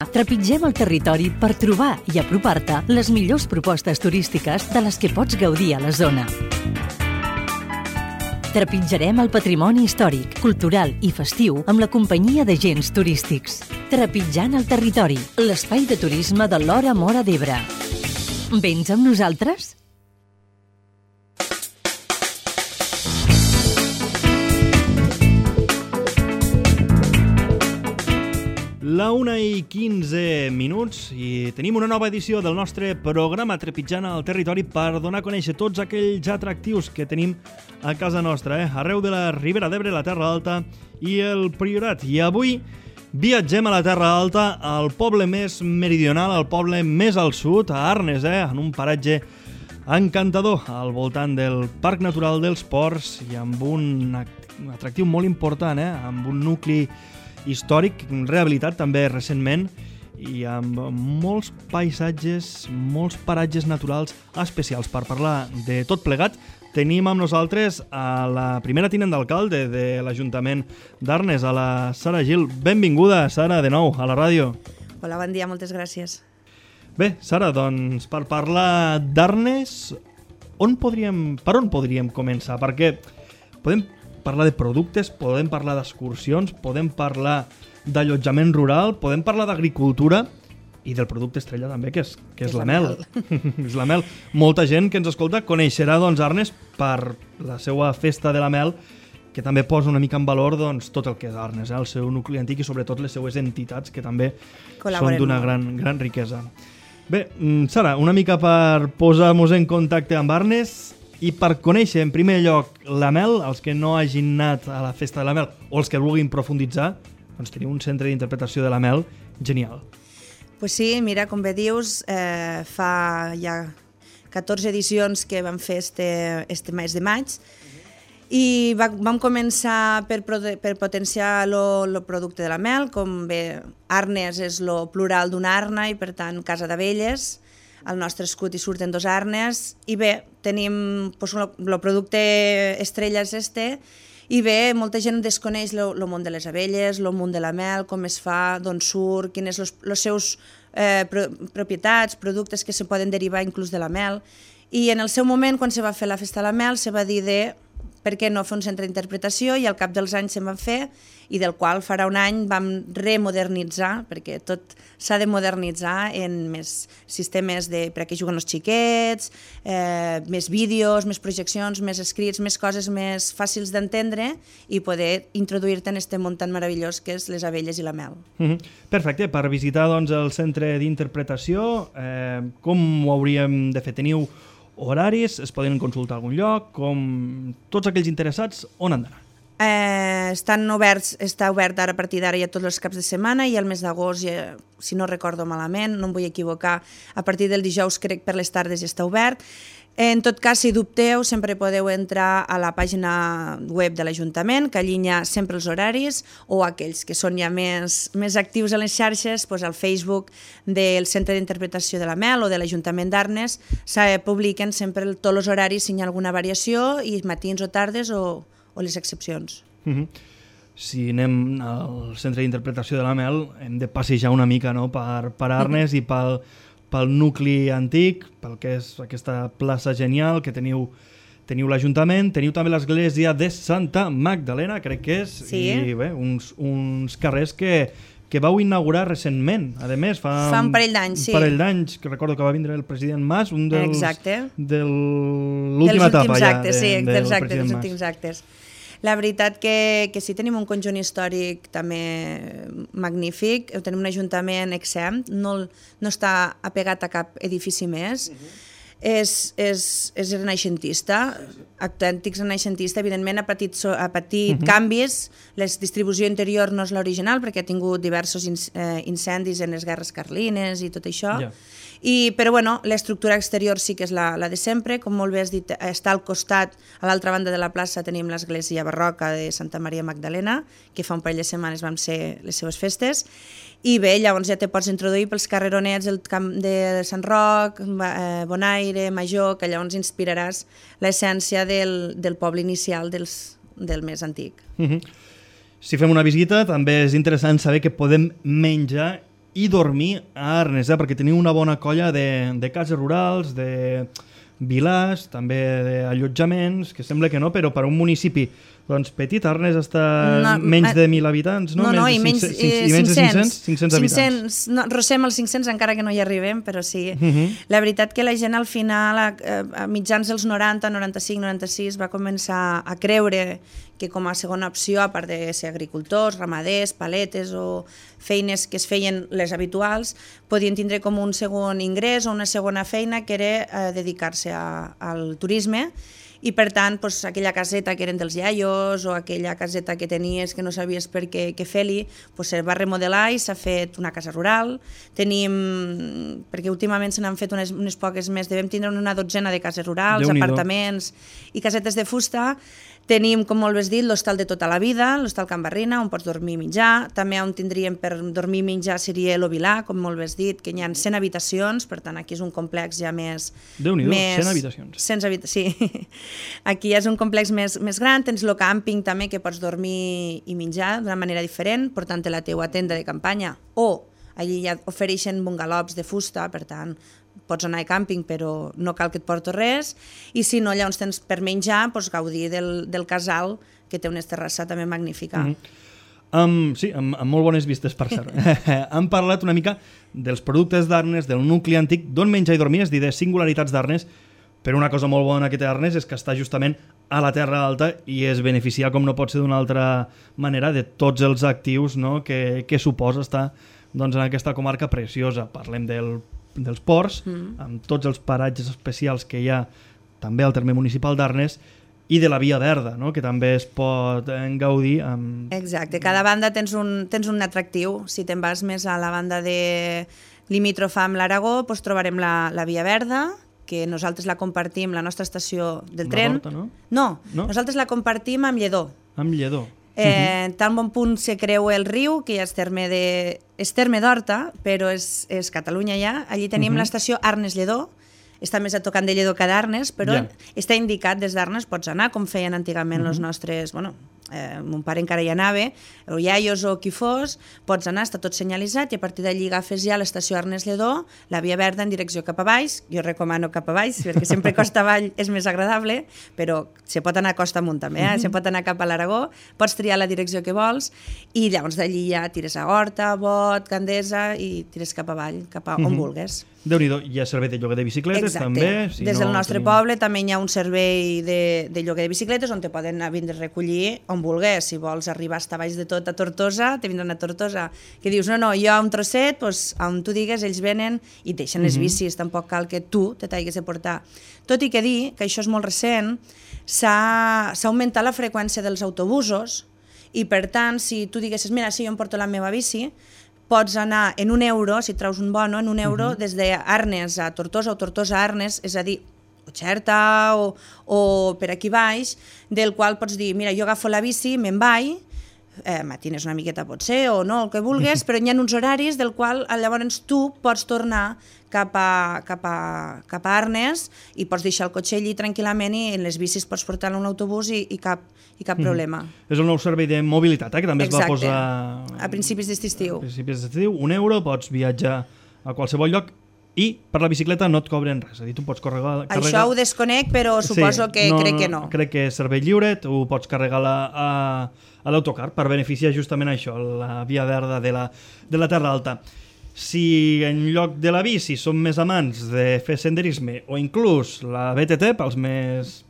Trepitgem el territori per trobar i apropar-te les millors propostes turístiques de les que pots gaudir a la zona. Trepitjarem el patrimoni històric, cultural i festiu amb la companyia d'agents turístics. Trepitjant el territori, l'espai de turisme de l'Hora Móra d'Ebre. Vens amb nosaltres? La 1:15 i tenim una nova edició del nostre programa Trepitjant el territori per donar a conèixer tots aquells atractius que tenim a casa nostra, arreu de la Ribera d'Ebre, la Terra Alta i el Priorat. I avui viatgem a la Terra Alta, al poble més meridional, al poble més al sud, a Arnes, en un paratge encantador al voltant del Parc Natural dels Ports i amb un atractiu molt important, amb un nucli històric, rehabilitat també recentment i amb molts paisatges, molts paratges naturals especials. Per parlar de tot plegat, tenim amb nosaltres a la primera tinent d'alcalde de l'Ajuntament d'Arnes, a la Sara Gil. Benvinguda, Sara, de nou a la ràdio. Hola, bon dia, moltes gràcies. Bé, Sara, doncs per parlar d'Arnes, per on podríem començar? Perquè podem parlar de productes, podem parlar d'excursions, podem parlar d'allotjament rural, podem parlar d'agricultura i del producte estrella també, que és la mel. És la mel. Molta gent que ens escolta coneixerà Arnes per la seva festa de la mel, que també posa una mica en valor tot el que és Arnes, el seu nucli antic i sobretot les seues entitats, que també són d'una gran riquesa. Bé, Sara, una mica per posar-nos en contacte amb Arnes i per conèixer en primer lloc la mel, els que no hagin anat a la festa de la mel o els que vulguin profunditzar, doncs teniu un centre d'interpretació de la mel genial. Pues sí, mira, com bé dius, fa ja 14 edicions que vam fer este mes de maig i vam començar per potenciar el producte de la mel, com bé Arnes és el plural d'una arna i per tant casa d'abelles. Al nostre escut hi surten 2 arnes i bé, tenim el producte estrella és i bé, molta gent desconeix el món de les abelles, el món de la mel, com es fa, d'on surt, quines són les seus propietats, productes que se poden derivar inclús de la mel. I en el seu moment, quan se va fer la festa de la mel, se va dir per què no fer un centre d'interpretació i al cap dels anys se'n van fer i del qual farà un any vam remodernitzar, perquè tot s'ha de modernitzar en més sistemes per a què juguen els xiquets, més vídeos, més projeccions, més escrits, més coses més fàcils d'entendre i poder introduir-te en aquest món tan meravellós que és les abelles i la mel. Perfecte, per visitar el centre d'interpretació, com ho hauríem de fer? Teniu horaris, es poden consultar a algun lloc, com tots aquells interessats, on han d'anar? Està obert ara a partir d'ara ja tots els caps de setmana i al mes d'agost, si no recordo malament, no em vull equivocar, a partir del dijous crec per les tardes ja està obert. En tot cas, si dubteu, sempre podeu entrar a la pàgina web de l'Ajuntament, que allinya sempre els horaris, o aquells que són ja més actius a les xarxes, al Facebook del Centre d'Interpretació de la Mel o de l'Ajuntament d'Arnes, publiquen sempre tots els horaris si hi ha alguna variació, i matins o tardes o les excepcions. Si anem al Centre d'Interpretació de la Mel, hem de passejar una mica per Arnes i pel nucli antic, pel que és aquesta plaça genial que teniu l'Ajuntament, teniu també l'església de Santa Magdalena, crec que és, i bé, uns carrers que vau inaugurar recentment, a més, fa un parell d'anys, sí. Un parell d'anys, que recordo que va vindre el president Mas, un de l'última etapa ja dels últims actes. La veritat que sí, tenim un conjunt històric també magnífic, tenim un ajuntament exempt, no està apegat a cap edifici més, és renaixentista, autèntic renaixentista, evidentment ha patit canvis, la distribució interior no és l'original perquè ha tingut diversos incendis en les guerres carlines i tot això, però l'estructura exterior sí que és la de sempre, com molt bé has dit, està al costat, a l'altra banda de la plaça tenim l'església barroca de Santa Maria Magdalena, que fa un parell de setmanes van ser les seves festes, i bé, llavors ja te pots introduir pels carreronets del camp de Sant Roc, Bonaire, Major, que llavors inspiraràs l'essència del poble inicial del més antic. Si fem una visita també és interessant saber que podem menjar i dormir a Arnes, perquè teniu una bona colla de cases rurals, de vilars, també d'allotjaments, que sembla que no, però per un municipi doncs petit, Arnes està menys de 1.000 habitants, no? No, i menys de 500 habitants. No, rocem els 500 encara que no hi arribem, però sí. La veritat que la gent al final, a mitjans dels 90, 95, 96, va començar a creure que com a segona opció, a part de ser agricultors, ramaders, paletes o feines que es feien les habituals, podien tindre com un segon ingrés o una segona feina que era dedicar-se al turisme. I per tant, aquella caseta que eren dels iaios o aquella caseta que tenies que no sabies per què fer-li, se va remodelar i s'ha fet una casa rural. Tenim, perquè últimament se n'han fet unes poques més, devem tindre una dotzena de cases rurals, apartaments i casetes de fusta. Tenim, com molt bé has dit, l'hostal de tota la vida, l'hostal Can Barrina, on pots dormir i menjar. També on tindríem per dormir i menjar seria l'Ovilà, com molt bé has dit, que hi ha 100 habitacions, per tant aquí és un complex ja més... Déu-n'hi-do, 100 habitacions. 100 habitacions, sí. Aquí és un complex més gran, tens el càmping també, que pots dormir i menjar d'una manera diferent, portant la teua tenda de campanya, o allí ja ofereixen bungalows de fusta, per tant, pots anar a càmping però no cal que et porto res, i si no, llavors tens per menjar, gaudir del casal, que té una terrassa també magnífica. Sí, amb molt bones vistes, per cert. Hem parlat una mica dels productes d'Arnes, del nucli antic, d'on menjar i dormir, és dir, de singularitats d'Arnes, però una cosa molt bona que té Arnes és que està justament a la Terra Alta i es beneficia, com no pot ser d'una altra manera, de tots els actius que suposa estar en aquesta comarca preciosa. Parlem dels ports, amb tots els paratges especials que hi ha també al terme municipal d'Arnes, i de la Via Verda, que també es pot gaudir amb... Exacte, cada banda tens un atractiu. Si te'n vas més a la banda de limítrofa amb l'Aragó, trobarem la Via Verda, que nosaltres la compartim, la nostra estació del tren. Horta, no? No, nosaltres la compartim amb Lledó. Amb Lledó. Tan bon punt se creua el riu, que ja és terme d'Horta, però és Catalunya ja. Allí tenim l'estació Arnes-Lledó, està més a tocant de Lledó que d'Arnes, però està indicat des d'Arnes, pots anar, com feien antigament els nostres... mon pare encara hi anava, o iaios o qui fos, pots anar, està tot senyalitzat, i a partir d'allí agafes ja l'estació Arnes-Lledó, la Via Verda en direcció cap a baix, jo recomano cap a baix, perquè sempre costa avall és més agradable, però se pot anar costa amunt també, se pot anar cap a l'Aragó, pots triar la direcció que vols, i llavors d'allí ja tires a Horta, Bot, Gandesa, i tires cap avall, cap a on vulgues. Déu-n'hi-do, hi ha servei de lloguer de bicicletes també. Des del nostre poble també hi ha un servei de lloguer de bicicletes on te poden vindre a recollir on vulguis. Si vols arribar a estar baix de tot a Tortosa, te vindran a Tortosa. Que dius, no, jo a un trosset, on tu digues, ells venen i deixen les bicis, tampoc cal que tu te t'haguis de portar. Tot i que dir que això és molt recent, s'ha augmentat la freqüència dels autobusos i per tant, si tu diguessis, mira, si jo em porto la meva bici, pots anar en €1, si traus un bono, en €1 des d'Arnes a Tortosa o Tortosa a Arnes, és a dir, o Xerta o per aquí baix, del qual pots dir, mira, jo agafo la bici, me'n vaig, matines una miqueta potser o no, el que vulguis, però hi ha uns horaris del qual llavors tu pots tornar cap a Arnes i pots deixar el cotxe allí tranquil·lament i en les bicis pots portar-lo a un autobús i cap problema. És el nou servei de mobilitat, que també es va posar... a principis d'estiu. A principis d'estiu, €1, pots viatjar a qualsevol lloc i per la bicicleta no et cobren res, és a dir, tu pots carregar... Això ho desconec, però suposo que crec que no. Crec que és servei lliure, tu pots carregar a l'autocar per beneficiar justament això, la Via Verda de la Terra Alta. Si en lloc de la bici som més amants de fer senderisme o inclús la BTT pels més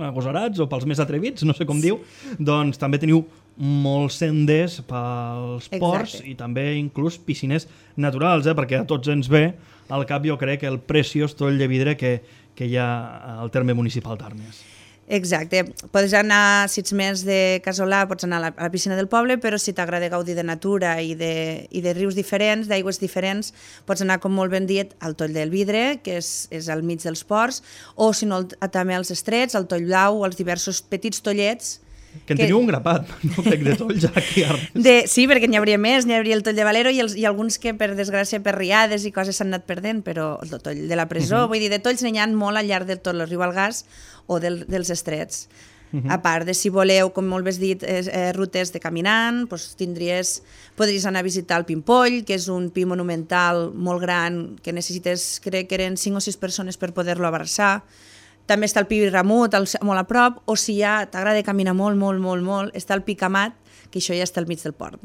agosarats o pels més atrevits, no sé com diu, doncs també teniu molts senders pels ports i també inclús piscines naturals, perquè a tots ens ve al cap, jo crec, el preciós toll de vidre que hi ha al terme municipal d'Arnes. Exacte. Pots anar, si ets més de Casolà, pots anar a la piscina del poble, però si t'agrada gaudir de natura i de rius diferents, d'aigües diferents, pots anar, com molt ben dit, al Toll del Vidre, que és al mig dels ports, o si no, també als Estrets, al Toll Blau, als diversos petits tollets. Que en teniu un grapat, no crec, de tolls aquí a Arnes. Sí, perquè n'hi hauria més, n'hi hauria el Toll de Valero i alguns que, per desgràcia, per riades i coses s'han anat perdent, però el Toll de la Presó, vull dir, de tolls n'hi ha molt al llarg de tot el riu Algars o dels Estrets. A part de, si voleu, com molt bé has dit, rutes de caminant, doncs podries anar a visitar el Pimpoll, que és un pi monumental molt gran, que necessites, crec que eren 5 o 6 persones per poder-lo abraçar. També està el Pi Ramut, molt a prop, o si ja t'agrada caminar molt, està el Pic Amat, que això ja està al mig del port.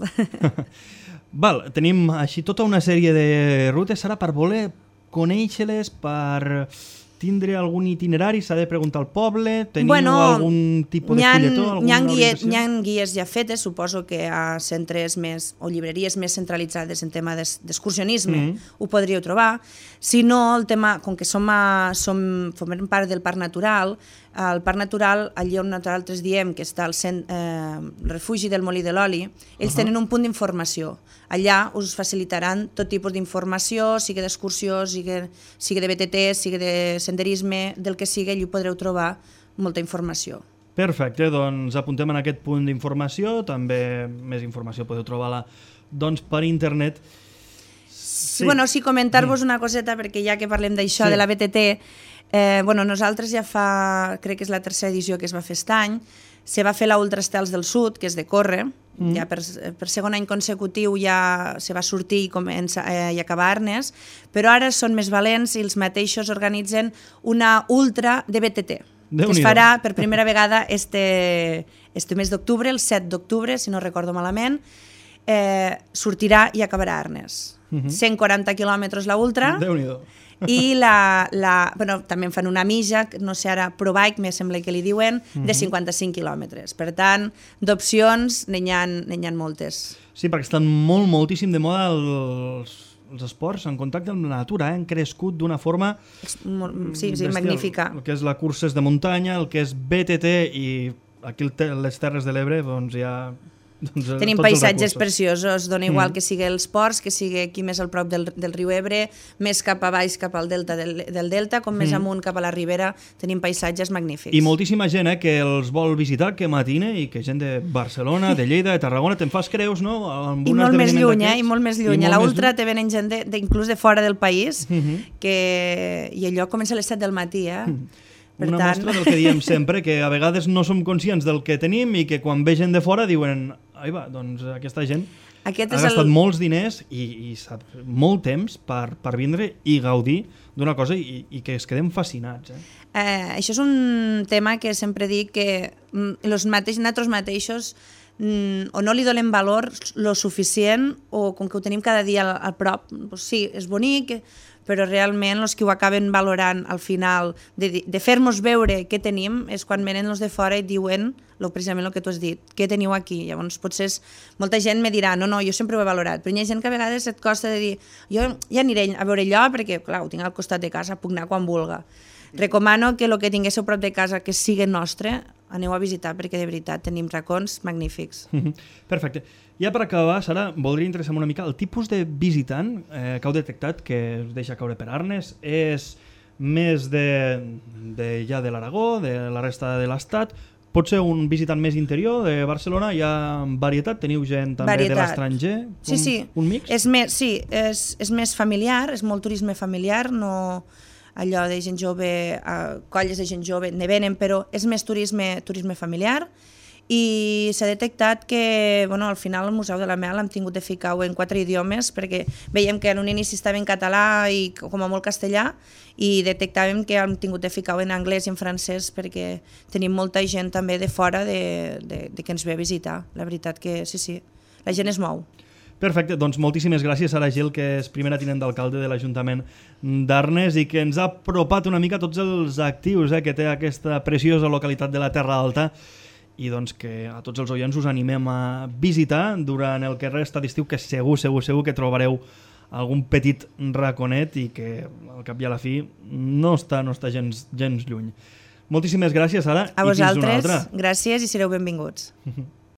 Val, tenim així tota una sèrie de rutes, ara per voler conèixer-les, per tindre algun itinerari, s'ha de preguntar al poble, teniu algun tipus de fulletó, alguna orientació? Hi ha guies ja fetes, suposo que a centres més, o llibreries més centralitzades en tema d'excursionisme ho podríeu trobar. Si no, el tema, com que formem part del Parc Natural, al Parc Natural, allí on nosaltres diem que està el refugi del Molí de l'Oli, ells tenen un punt d'informació. Allà us facilitaran tot tipus d'informació, sigui d'excursió, sigui de BTT, sigui de senderisme, del que sigui, allí podreu trobar molta informació. Perfecte, doncs apuntem en aquest punt d'informació, també més informació podeu trobar-la per internet. Sí, comentar-vos una coseta, perquè ja que parlem d'això, de la BTT, nosaltres ja crec que és la tercera edició que es va fer aquest any, se va fer la Ultra Estels del Sud, que és de córrer, ja per segon any consecutiu ja se va sortir i acabar a Arnes, però ara són més valents i els mateixos organitzen una ultra de BTT, que es farà per primera vegada este mes d'octubre, el 7 d'octubre, si no recordo malament, sortirà i acabarà a Arnes. 140 quilòmetres la ultra. Déu-n'hi-do. I també en fan una mitja, no sé ara, ProBike, me sembla que li diuen, de 55 quilòmetres. Per tant, d'opcions n'hi ha moltes. Sí, perquè estan moltíssim de moda els esports en contacte amb la natura, han crescut d'una forma bestial. Magnífica. El que és la cursa de muntanya, el que és BTT i aquí les Terres de l'Ebre, doncs ja... Tenim paisatges preciosos, dona igual que sigui els ports, que sigui aquí més al prop del riu Ebre, més cap a baix, cap al delta del delta, com més amunt cap a la ribera, tenim paisatges magnífics. I moltíssima gent que els vol visitar, que matine, i que gent de Barcelona, de Lleida, de Tarragona, te'n fas creus, no? I molt més lluny, i molt més lluny. A l'Ultra te venen gent inclús de fora del país, i allò comença a les 7 del matí, Una mostra del que diem sempre, que a vegades no som conscients del que tenim i que quan ve gent de fora diuen doncs aquesta gent ha gastat molts diners i molt temps per vindre i gaudir d'una cosa i que es quedem fascinats. Això és un tema que sempre dic que nosaltres mateixos o no li donem valor lo suficient o com que ho tenim cada dia a prop. Sí, és bonic, però realment els que ho acaben valorant al final de fer-nos veure què tenim és quan venen els de fora i diuen precisament el que tu has dit, què teniu aquí. Llavors potser molta gent me dirà no, jo sempre ho he valorat, però hi ha gent que a vegades et costa de dir jo ja aniré a veure allò perquè clar, ho tinc al costat de casa, puc anar quan vulga. Recomano que el que tinguéssiu prop de casa que sigui nostre, aneu a visitar perquè de veritat tenim racons magnífics. Perfecte. Ja per acabar, Sara, voldria interessar-me una mica el tipus de visitant que heu detectat que us deixa caure per Arnes. És més de l'Aragó, de la resta de l'Estat? Pot ser un visitant més interior de Barcelona? Hi ha varietat? Teniu gent també de l'estranger? Sí. Un mix? És més familiar, és molt turisme familiar, no allò de gent jove, colles de gent jove ne venen, però és més turisme familiar. I s'ha detectat que al final el Museu de la Mel hem tingut de ficar-ho en 4 idiomes perquè veiem que en un inici estava en català i com a molt castellà i detectàvem que hem tingut de ficar-ho en anglès i en francès perquè tenim molta gent també de fora que ens ve a visitar. La veritat que sí, la gent es mou. Perfecte, doncs moltíssimes gràcies a la Gil, que és primera tinent d'alcalde de l'Ajuntament d'Arnes i que ens ha apropat una mica tots els actius que té aquesta preciosa localitat de la Terra Alta i doncs que a tots els oients us animem a visitar durant el que resta d'estiu, que segur que trobareu algun petit raconet i que al cap i a la fi no està gens lluny. Moltíssimes gràcies, Sara. A vosaltres, gràcies i sereu benvinguts.